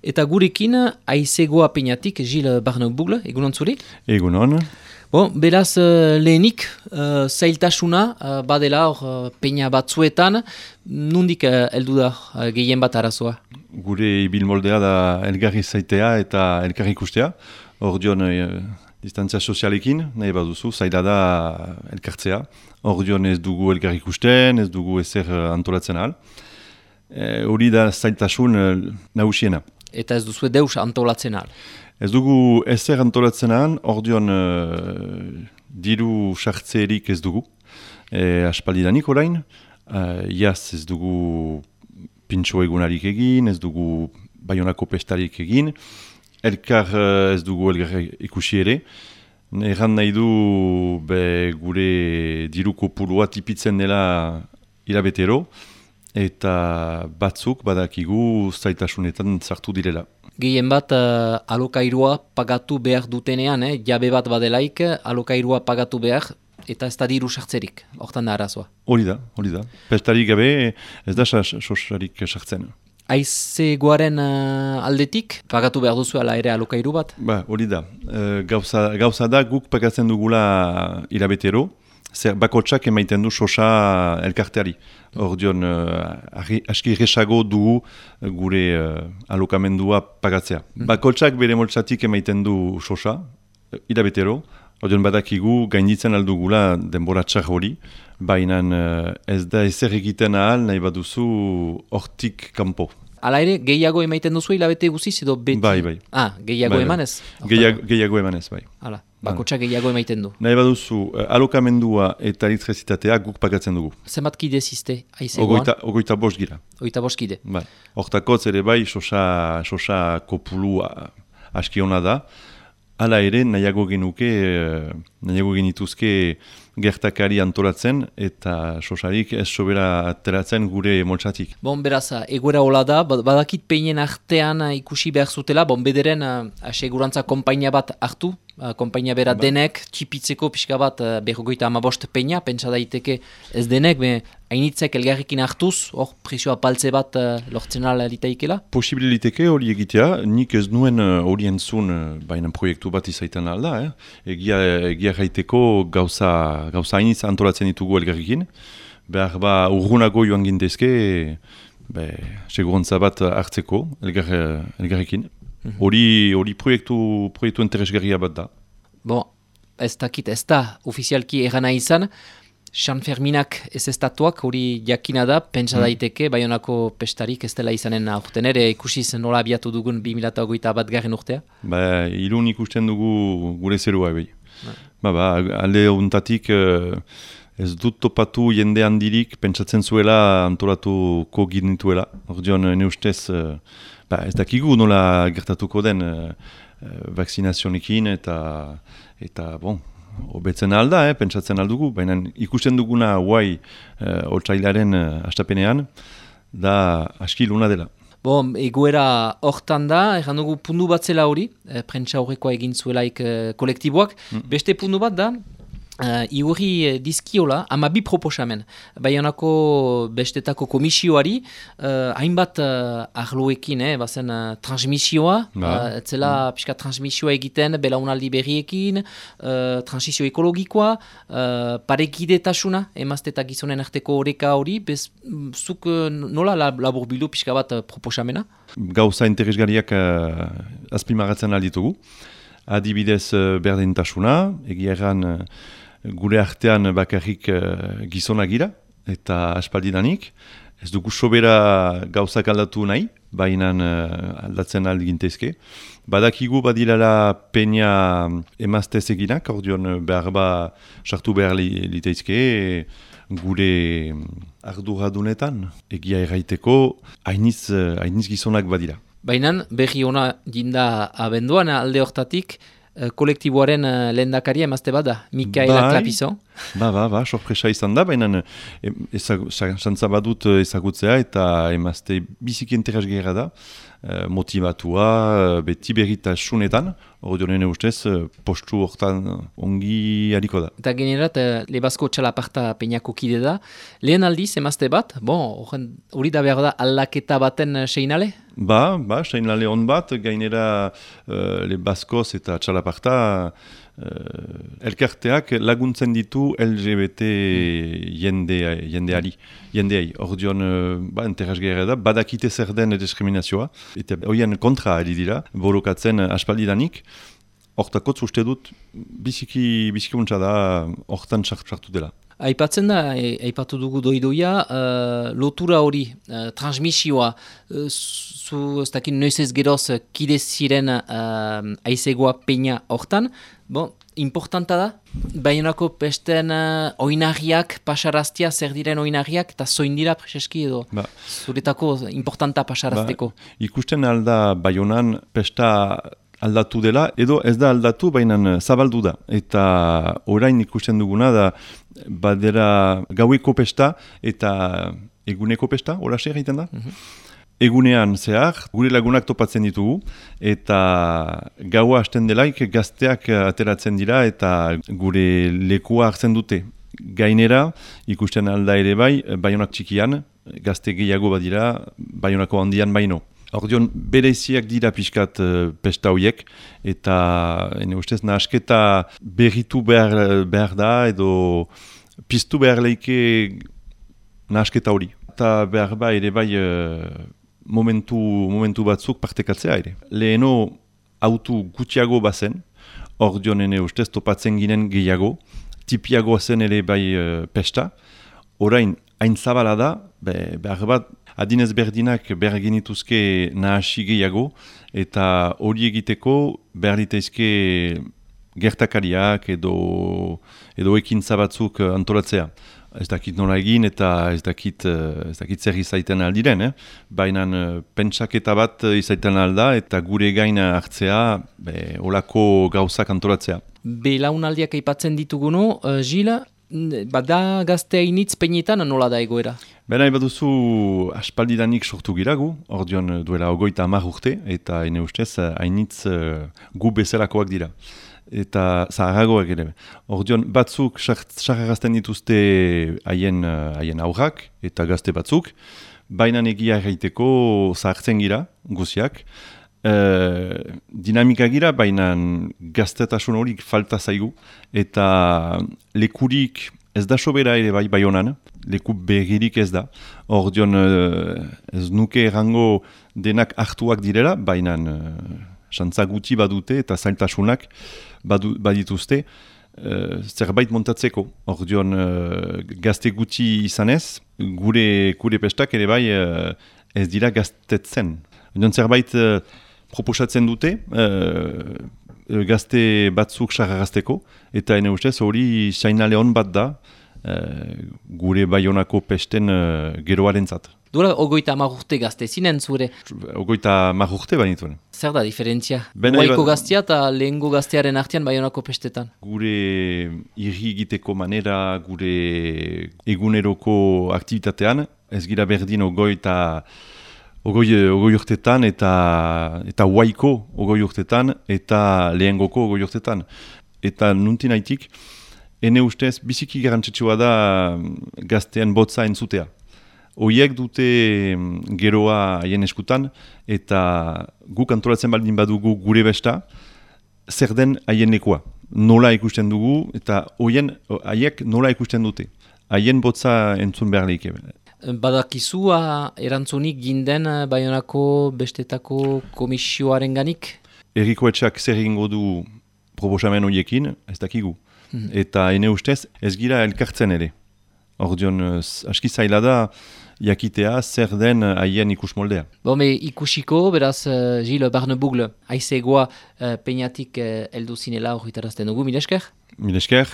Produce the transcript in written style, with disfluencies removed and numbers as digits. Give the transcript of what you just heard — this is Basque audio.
Eta gurekin, aizegoa peinatik, Gilles Barneau-Bugle, egunon zuri? Egunon. Beraz, lehenik, zailtasuna, badela hor peina batzuetan, nondik heldu da gehien bat arazoa? Gure ibilmoldea da elgarri zaitea eta elgarri ikustea. Hor dion distantzia sozialekin, nahi baduzu, zaila da elkartzea. Hor dion ez dugu elgarri ikusten, ez dugu ezer antolatzen ahal. Hori da zailtasun nagusiena. Eta ez duzu deus antolatzen ahal? Ez dugu ezer antolatzen ahal, hor dion diru sartzerik ez dugu. Aspaldidanik orain, iaz ez dugu pintxo egunarik egin, ez dugu Baionako pestarik egin, elkar ez dugu elkar ikusi ere. Erran nahi du gure diru kopurua tipitzen dela hilabetero, eta batzuk badakigu zaitasunetan sartu direla. Gehien bat alokairua pagatu behar dutenean, jabe bat badelaik, alokairua pagatu behar, eta ez da diru sartzerik, hortan da arazoa. Hori da. Pestarik gabe ez da sosarik sartzen. Aizegoaren aldetik, pagatu behar duzu ala ere alokairu bat? Hori da. Gauza da guk pagatzen dugula hilabetero, bakotsak emaiten du sosa elkarteari. Hor dion, aski erresago dugu gure alokamendua pagatzea. Bakotsak bere moltsatik emaiten du sosa, hilabetero, hor dion badakigu gainditzen aldugula denbora txar hori, baina ez da ezer egiten ahal nahi baduzu hortik kanpo. Hala ere, gehiago emaiten duzu hilabete guziz edo beti? Bai. Gehiago emanez? Gehiago emanez, bai. Hala, bakotsak gehiago emaiten du. Nahi baduzu, alokamendua eta elektrizitatea guk pagatzen dugu. Zenbat kide ziste, aizegoan? 25 gira. 25 kide. Bai. Hortakotz ere bai, sosa kopulu aski hona da. Hala ere, nahiago genituzke gertakari antolatzen eta sosarik ez sobera ateratzen gure moltsatik. Beraz, egoera hola da, badakit peinen artean ikusi behar zutela, bederen asegurantza konpainia bat hartu, konpainia bera denek, txipitzeko pixka bat 55 peina, pentsa daiteke ez denek, hainitzek elgarrekin hartuz, hor presioa paltze bat lortzen alitaikela? Posibiliteke hori egitea, nik ez nuen hori entzun baina proiektu bat izaitan alda, egia gaiteko gauza hainitz antolatzen ditugu elgarrekin, behar urgunago joan gintezke, segurantza bat hartzeko elgarrekin. Hori proiektu interesgarria bat da. Ez da ofizialki erana izan, San Ferminak ez estatuak hori jakina da, pentsa daiteke, Baionako pestarik ez dela izanen aurten ere, ikusiz nola abiatu dugun 2021 urtea? Irun ikusten dugu gure zerua, bai. Alde hontatik ez dut topatu jende handirik pentsatzen zuela antolatuko ginituela. Ordion, ne ustez, ez dakigu nola gertatuko den vakzinazionekin eta hobetzen alda, pentsatzen aldugu, baina ikusten duguna guai otsailaren astapenean, da aski luna dela. Egoera hortan da, erran dugu pundu bat zela hori, prentsa horrekoa egin zuelaik kolektiboak, beste pundu bat da, igorri dizkiola, 12 proposamen. Baionako bestetako komisioari, hainbat arloekin, bazen transmisioa, etzela pixka transmisioa egiten, belaunaldi berriekin, transizio ekologikoa, parekidetasuna, emazte eta gizonen arteko oreka hori, zuk nola laburbildu pixka bat proposamena? Gauza interesgarriak azpimagatzen alditugu. Adibidez berdintasuna, egia erran gure artean bakarrik gizonak gira, eta aspaldidanik. Ez dugu sobera gauzak aldatu nahi, baina aldatzen aldegintezke. Badakigu badilala peina emaztez eginak, ordion behar sartu behar liteizke gure arduradunetan. Egia erraiteko, hainiz gizonak badira. Baina berri ona jinda abenduan alde hortatik, kolektiboaren lehendakaria emazte bada, Mikaela Klapizon. sorpresa izan da, baina xantza badut ezagutzea eta emazte biziki interesgarria da, motivatua, beti berritasunetan, ordionen ustez, postu hortan ongi hariko da. Eta generat, Lebazko txalaparta peinako kide da. Lehen aldiz, emazte bat, hori da behar da aldaketa baten seinale? Seinale hon bat, gainera Lebazkoz eta txalaparta elkarteak laguntzen ditu LGBT jendeai. Ordion, interesgarria da, badakite zer den diskriminazioa, eta horien kontra ari dira, borokatzen aspaldidanik, hortakotz uste dut, biziki muntza da, hortan sartu dela. Aipatzen da, aipatu dugu doidoia, lotura hori, transmisioa, zu ez dakit noiz ez geroz kide ziren aizegoa peina hortan, importanta da, Baionako pesten oinarriak, pasaraztia, zer diren oinarriak, eta zoin dira preseski edo zuretako importanta pasarazteko. Ikusten alda Baionan pesta aldatu dela, edo ez da aldatu, baina zabaldu da. Eta orain ikusten duguna da, badera gaueko pesta eta eguneko pesta, horaxe egiten da? Egunean zehar, gure lagunak topatzen ditugu, eta gaua hasten delaik gazteak ateratzen dira eta gure lekua hartzen dute. Gainera, ikusten alda ere bai, Baionak txikian, gazte gehiago badira, Baionako handian baino. Ordion, bereiziak dira pixkat pesta horiek, eta ustez nahasketa berritu behar da, edo piztu behar leike nahasketa hori. Eta behar ba ere bai momentu batzuk partekatzea ere. Leheno autu gutxiago bazen, ordion ustez topatzen ginen gehiago, tipiago zen ere bai pesta, orain hain zabala da, behar bat adinez berdinak behar genituzke nahasi gehiago, eta hori egiteko behar ditaizke gertakariak edo ekintza batzuk antolatzea. Ez dakit nola egin eta ez dakit zer izaiten aldiren, baina pentsaketa bat izaiten alda eta gure gaina hartzea, olako gauzak antolatzea. Belaunaldiak aipatzen dituguno, Gila, bada gazte hainitz peinetan nola da egoera? Nahi baduzu aspaldidanik sortu giragu, ordion duela 30 urte, eta ene ustez hainitz gu bezalakoak dira. Eta zaharagoak ere. Ordion batzuk sarrarazten dituzte haien aurrak eta gazte batzuk, baina egia erraiteko zahartzen gira, guziak. Dinamika gira, baina gaztetasun horik falta zaigu, eta lekurik ez da sobera ere bai Baionan, leku begirik ez da. Ordion ez nuke errango denak hartuak direla, baina xantza guti badute eta zailtasunak badituzte zerbait montatzeko. Ordion gazte guti izanez, gure pestak ere bai ez dira gaztetzen. Ordion zerbait proposatzen dute, gazte batzuk sarrarazteko, eta ene ustez hori sainale hon bat da gure Baionako pesten geroarentzat. Duela 30 urte gazte zinen zure? 30 urte banituen. Zer da diferentzia? Guaiko gaztea eta lehengo gaztearen artean Baionako pestetan? Gure irri egiteko manera, gure eguneroko aktivitatean, ez gira berdin ogoi urtetan eta guaiko ogoi urtetan eta lehengoko ogoi urtetan. Eta nuntin haitik, ene ustez biziki garantzitsua da gaztean botza entzutea. Oiek dute geroa haien eskutan, eta guk antolatzen baldin badugu gure besta, zer den haien lekua. Nola ikusten dugu, eta haiek nola ikusten dute. Haien botza entzun behar leike. Badakizua erantzunik ginden Baionako bestetako komisioaren ganik? Erriko etxak zer egingo du proposamen horiekin, ez dakigu. Eta ene ustez ez gira elkartzen ere. Ordion, aski zaila da jakitea zer den haien ikusmoldea. Ikusiko, beraz, Gilles Barnebugle, aizegoa peinatik heldu zinela horretarazten dugu, mil esker? Mil esker.